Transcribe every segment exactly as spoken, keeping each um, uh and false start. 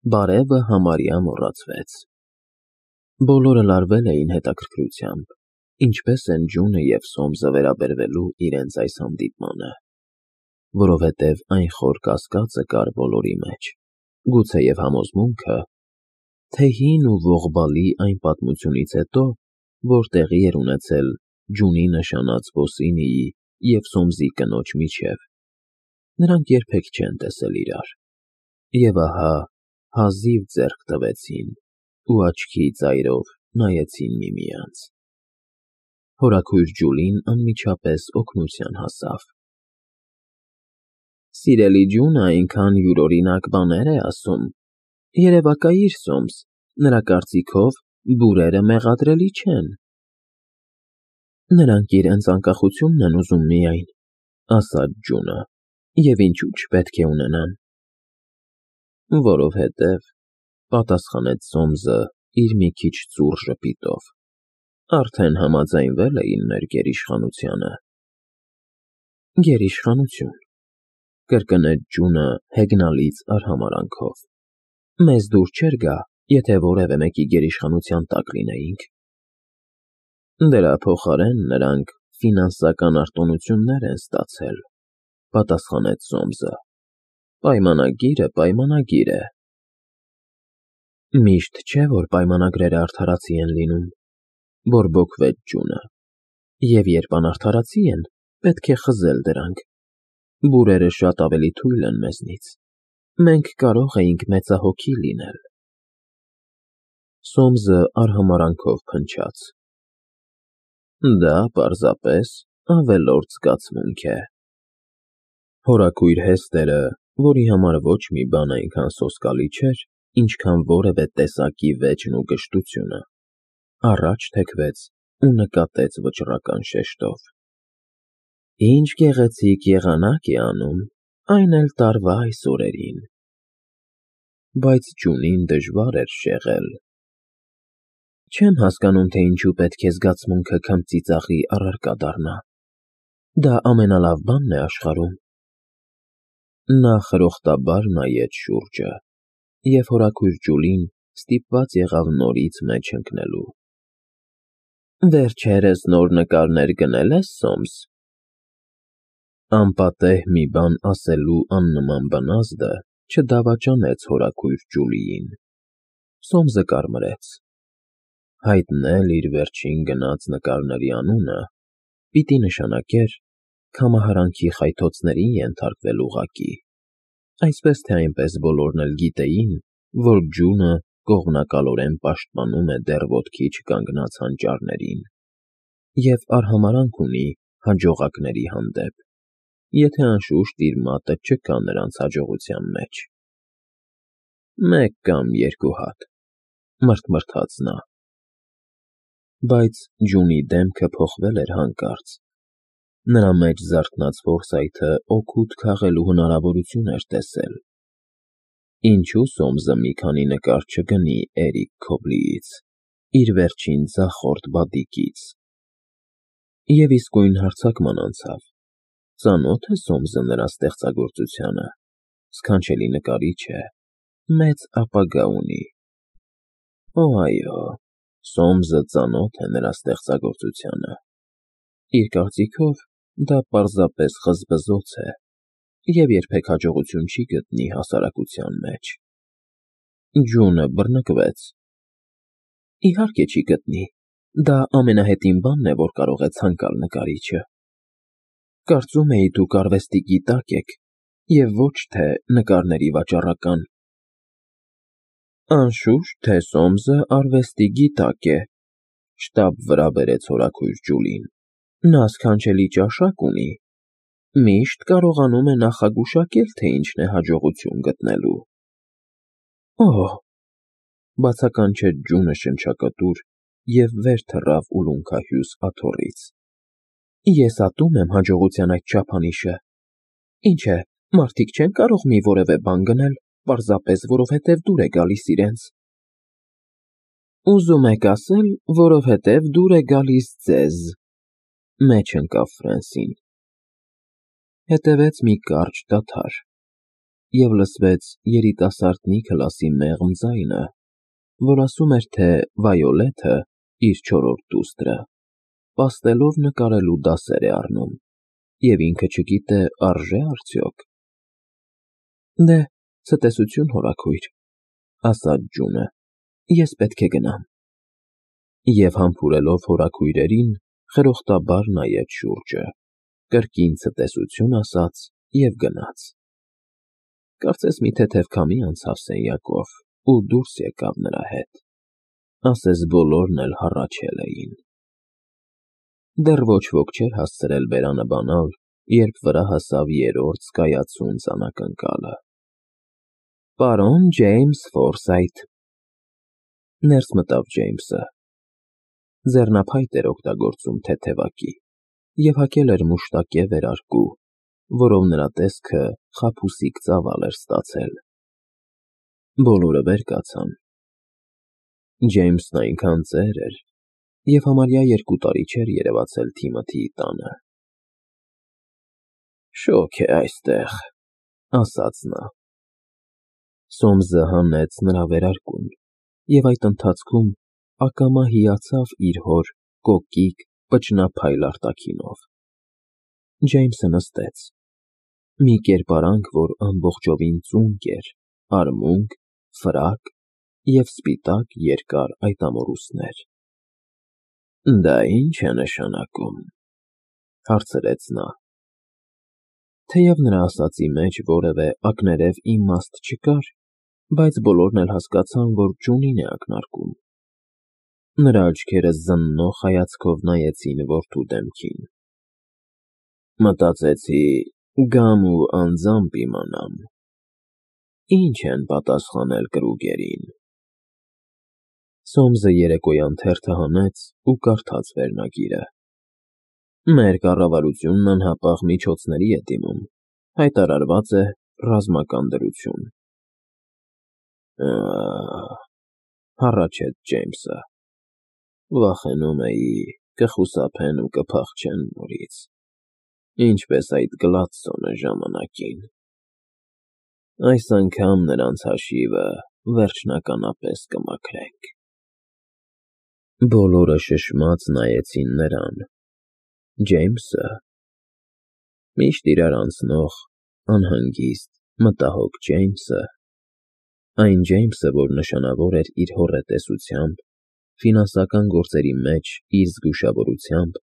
Բարևը համարյա մոռացվեց։ Բոլորը լարվել էին հետաքրքրությամբ, ինչպես են ջունը և Սոմսը վերաբերվելու իրենց այս հանդիպմանը, որովհետև այն խոր կասկածը կար բոլորի մեջ, գուցեև համոզմունքը, թե հին ու ողբալի այն պատմությունից հետո, որ տեղի էր ունեցել ջունի նշանած ոսինիի և Սոմսի կնոջ միջև, նրանք երբեք չեն տեսել իրար, և ահա հազիվ ձեռք տվեցին ու աչքի ծայրով նայեցին միմյանց։ Հորաքույր Ջուլին անմիջապես օգնության հասավ. Սիրելի ջունը այնքան յուրօրինակ բաներ է ասում, երևակայիր, Սոմս, նրա կարծիքով բուրերը մեղադրելի չեն։ Նրանք իրենց անկախությունն են ուզում միայն, ասաց ջունը, և ինչու չպետք է ունենան։ Որովհետև, պատասխանեց Սոմսը իր մի քիչ ծուռ ժպիտով, արդեն համաձայնվել էին մեր գերիշխանությանը։ Գերիշխանություն, կրկնեց ջունը հեգնալից արհամարհանքով, մեզ դուր չէր գա, եթե որևէ մեկի գերիշխանության տակ լինեինք։ Դրա փոխարեն նրանք ֆինանսական արտոնություններ են ստացել, պատասխանեց Սոմսը, պայմանագիրը պայմանագիր է։ Միշտ չէ, որ պայմանագրերը արդարացի են լինում, բորբոքվեց ջունը, և երբ անարդարացի են, պետք է խզել դրանք, բուրերը շատ ավելի թույլ են մեզնից, մենք կարող էինք մեծահոգի լինել։ Սոմսը արհամարհանքով փնչաց. Դա պարզապես ավելորդ զգացմունք է։ Հորաքույր Հեստերը, որի համար ոչ մի բան այնքան սոսկալի չէր, ինչքան որևէ տեսակի վեճն ու գժտությունը, առաջ թեքվեց ու նկատեց վճռական շեշտով. Ինչ գեղեցիկ եղանակ է անում, այն էլ տարվա այս օրերին։ Բայց ջունին դժվար էր շեղել. Չեմ հասկանում, թե ինչու պետք է զգացմունքը քմծիծաղի առարկա դառնա, դա ամենալավ բանն է աշխարհում։ Նա խրոխտաբար նայեց շուրջը, և հորաքույր Ջուլին ստիպված եղավ նորից մեջ ընկնելու։ Վերջերս նոր նկարներ գնե՞լ ես, Սոմս։ Անպատեհ մի բան ասելու աննման բնազդը չդավաճանեց հորաքույր Ջուլիին։ Սոմսը կարմրեց։ Հայտնել իր վերջին գնած նկարների անունը պիտի նշանակեր քամահարանքի խայթոցներին ենթարկվել ուղղակի, այսպես թե այնպես բոլորն էլ գիտեին, որ ջունը կողմնակալորեն պաշտպանում է դեռ ոտքի չկանգնած հանճարներին և արհամարհանք ունի հաջողակների հանդեպ, եթե անշուշտ իր մատը չկա նրանց հաջողության մեջ։ Մեկ կամ երկու հատ, մռթմռթաց նա։ Բայց ջունի դեմքը փոխվել էր հանկարծ, նրա մեջ զարթնած ֆորսայթը օգուտ քաղելու հնարավորություն էր տեսել։ Ինչու Սոմսը մի քանի նկար չգնի Էրիկ Քոբլիից, իր վերջին ձախորդ բադիկից։ Եվ իսկույն հարձակման անցավ. ծանո՞թ է Սոմսը նրա ստեղծագործությանը, սքանչելի նկարիչ է, մեծ ապագա ունի։ Օ, այո, Սոմսը ծանոթ է նրա ստեղծագործությանը։ Իր կարծիքով դա պարզապես խզբզոց է և երբեք հաջողություն չի գտնի հասարակության մեջ։ Ջունը բռնկվեց. Իհարկե չի գտնի, դա ամենահետին բանն է, որ կարող է ցանկալ նկարիչը։ Կարծում էի դուք արվեստի գիտակ եք և ոչ թե նկարների վաճառական։ Անշուշտ, թե Սոմսը արվեստի գիտակ է, շտապ վրա բերեց հորաքույր Ջուլին, նա սքանչելի ճաշակ ունի, միշտ կարողանում է նախագուշակել, թե ինչն է հաջողություն գտնելու։ Օհ, բացականչեց ջունը շնչակտուր և վեր թռավ ուլունքահյուս աթոռից։ Ես ատում եմ հաջողության այդ չափանիշը։ Ինչ է, մարդիկ չեն կարող մի որևէ բան գնել, պարզապես որովհետև դուր է գալիս իրենց։ Ուզում եք ասել, որովհետև դուր է գալիս ձեզ, մեջ ընկավ Ֆրենսին։ Հետևեց մի կարճ դադար։ և լսվեց երիտասարդ Նիքլասի մեղմ ձայնը, որ ասում էր, թե Վայոլեթը, իր չորրորդ դուստրը, պաստելով նկարելու դասեր է առնում, և ինքը չգիտե արժե՞ արդյոք։ Դե, ցտեսություն, հորաքույր, ասաց Ջունը, ես պետք է գնամ։ Եվ համբուրելով հորաքույրերին, խրոխտաբար նայեց շուրջը, կրկին ցտեսություն ասաց և գնաց։ Կարծես մի թեթև քամի անցավ սենյակով ու դուրս եկավ նրա հետ, ասես բոլորն էլ հառաչել էին։ Դեռ ոչ ոք չէր հասցրել բերանը բանալ, երբ վրա հասավ երրորդ զգայացունց անակնկալը։ Պարոն Ջեյմս Ֆորսայթ։ Ներս մտավ Ջեյմսը։ Ձեռնափայտ էր օգտագործում թեթևակի և հագել էր մուշտակե վերարկու, որով նրա տեսքը խաբուսիկ ծավալ էր ստացել։ Բոլորը վեր կացան։ Ջեյմսն այնքան ծեր էր և համարյա երկու տարի չէր երևացել Թիմոթիի տանը։ Շոգ է այստեղ, ասաց նա։ Սոմսը հանեց նրա վերարկուն և այդ ընթացքում ակամա հիացավ իր հոր կոկիկ, պճնափայլ արտաքինով։ Ջեյմսը նստեց։ Մի կերպարանք, որ ամբողջովին ծունկ էր, արմունկ, ֆրակ և սպիտակ երկար այտամորուսներ։ Դա ի՞նչ է նշանակում, հարցրեց նա։ Թեև նրա ասածի մեջ որևէ ակներև իմաստ չկար, բայց բոլորն էլ հասկացան, որ Ջունին է ակնարկում։ Նրա աչքերը զննող հայացքով նայեցին որդու դեմքին։ Մտածեցի, գամ ու անձամբ իմանամ, ինչ են պատասխանել կրուգերին։ Սոմսը երեկոյան թերթը հանեց ու կարդաց վերնագիրը։ Մեր կառավարությունն անհապաղ միջոցների է դիմում, հայտարարված է ռազմական դրություն։ Ա՜, հառաչեց Ջեյմսը։ Վախենում էի, կխուսափեն ու կփախչեն նորից, ինչպես այդ Գլադսոնը ժամանակին։ Այս անգամ նրանց հաշիվը վերջնականապես կմաքրենք։ Բոլորը շշմած նայեցին նրան։ Ջեյմսը… Միշտ իրար անցնող, անհանգիստ, մտահոգ Ջեյմսը… Այն Ջեյմսը, որ նշանավոր էր իր հոռետեսությամբ, ֆինանսական գործերի մեջ իր զգուշավորությամբ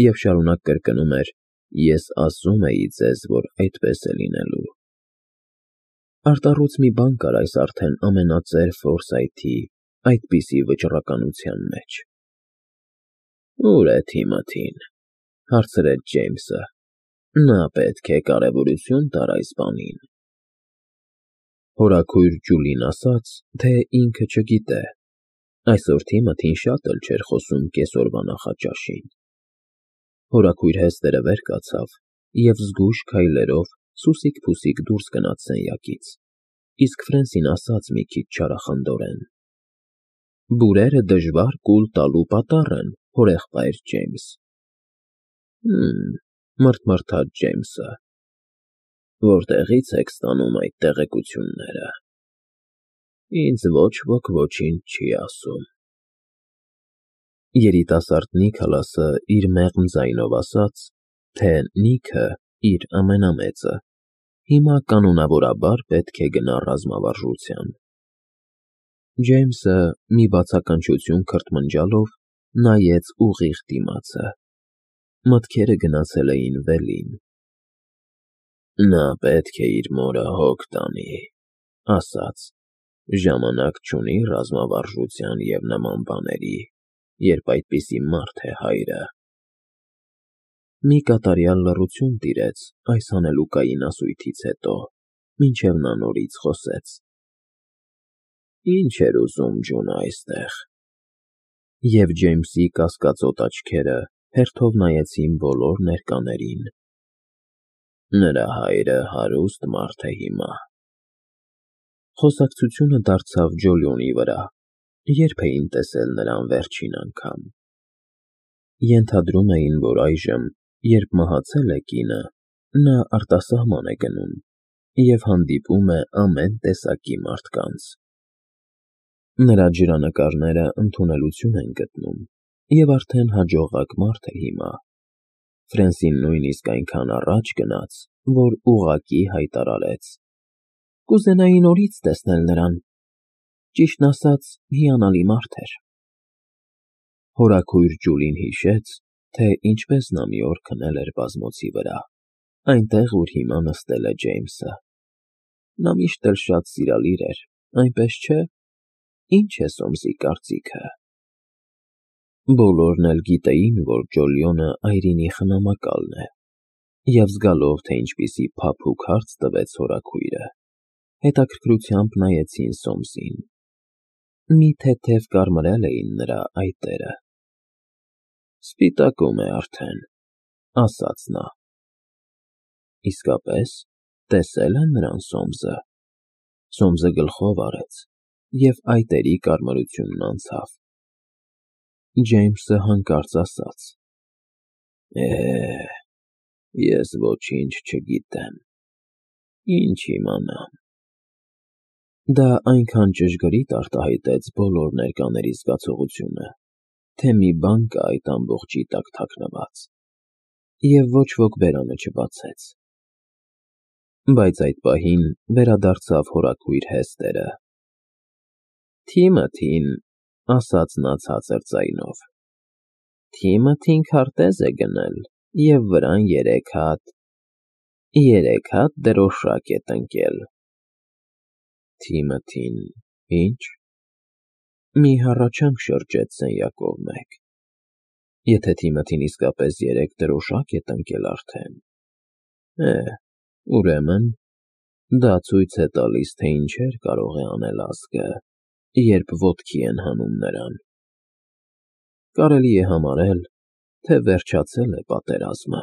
և շարունակ կրկնում էր. «Ես ասում էի ձեզ, որ այդպես է լինելու»։ Արտառոց մի բան կար այս արդեն ամենածեր Ֆորսայթի այդպիսի վճռականության մեջ։ Ո՞ւր է Թիմոթին, հարցրեց Ջեյմսը։ Նա պետք է կարևորություն տար այս բանին։ Հորաքույր Ջուլին ասաց, թե ինքը չգիտե։ Այսօր Թիմոթին շատ էլ չէր խոսում կեսօրվա նախաճաշին։ Հորաքույր հեստերը վեր կացավ և զգույշ քայլերով սուսիկ֊փուսիկ դուրս գնաց սենյակից, իսկ Ֆրենսին ասաց մի քիչ չարախնդորեն. Բուրերը դժվար կուլ տալու պատառ են, հորեղբայր Ջեյմս։ Հըմ, մռթմռթաց Ջեյմսը։ Որտեղի՞ց եք ստանում այդ տեղեկությունները։ Ինձ ոչ ոք ոչինչ չի ասում։ Երիտասարդ Նիքլասը իր մեղմ ձայնով ասաց, թե Նիքը, իր ամենամեծը, հիմա կանոնավորաբար պետք է գնա ռազմավարժության։ Ջեյմսը, մի բացականչություն քրթմնջալով, նայեց ուղիղ դիմացը։ Մտքերը գնացել էին վելին։ Նա պետք է իր մորը հոգ տանի, ասաց, ժամանակ չունի ռազմավարժության և նման բաների, երբ այդպիսի մարդ է հայրը։ Մի կատարյալ լռություն տիրեց այս հանելուկային ասույթից հետո, մինչև նա նորից խոսեց. Ինչ էր ուզում Ջունը այստեղ։ Եվ Ջեյմսի կասկածոտ աչքերը հերթով նայեցին բոլոր ներկաներին։ Նրա հայրը հարուստ մարդ է հիմա։ Խոսակցությունը դարձավ Ջոլիոնի վրա, երբ էին տեսել նրան վերջին անգամ։ Ենթադրում էին, որ այժմ, երբ մահացել է կինը, նա արտասահման է գնում և հանդիպում է ամեն տեսակի մարդկանց։ Նրա ջրանկարները ընդունելություն են գտնում, և արդեն հաջողակ մարդ է հիմա։ Ֆրենսին նույնիսկ այնքան առաջ գնաց, որ ուղղակի հայտարարեց. «Կուզենայի նորից տեսնել նրան, ճիշտն ասած, հիանալի մարդ էր»։ Հորաքույր Ջուլին հիշեց, թե ինչպես նա մի օր քնել էր բազմոցի վրա, այնտեղ, ուր հիմա նստել է Ջեյմսը։ Նա միշտ էլ շատ սիրալիր էր, այնպես չէ՞։ Ի՞նչ է Սոմսի կարծիքը։ Բոլորն էլ գիտեին, որ Ջոլիոնը այրինի խնամակալն է, և զգալով, թե ինչպիսի փափուկ հարց տվեց հորաքույրը, հետաքրքրությամբ նայեցին Սոմսին։ Մի թեթև կարմրել էին նրա այտերը։ «Սպիտակում է արդեն», ասաց նա։ Իսկապե՞ս, տեսե՞լ է նրան Սոմսը։ Սոմսը գլխով արեց, և այտերի կարմրությունն անցավ։ Ջեյմսը հանկարծ ասաց. «Է, ես ոչինչ չգիտեմ, ինչ իմանամ»։ Դա այնքան ճշգրիտ արտահայտեց բոլոր ներկաների զգացողությունը, թե մի բան կա այդ ամբողջի տակ թաքնված, և ոչ ոք բերանը չբացեց։ Բայց այդ պահին վերադարձավ հորաքույր Հեստերը։ «Թիմոթին», ասաց նա ցածր ձայնով, «Թիմոթին քարտեզ է գնել և վրան երեք հատ… երեք հատ դրոշակ է տնկել»։ Թիմոթին… ի՞նչ։ Մի հառաչանք շրջեց սենյակով մեկ։ Եթե Թիմոթին իսկապես երեք դրոշակ է տնկել արդեն… Է, ուրեմն, դա ցույց է տալիս, թե ինչեր կարող է անել ազգը, երբ ոտքի են հանում նրան։ Կարելի է համարել, թե վերջացել է պատերազմը։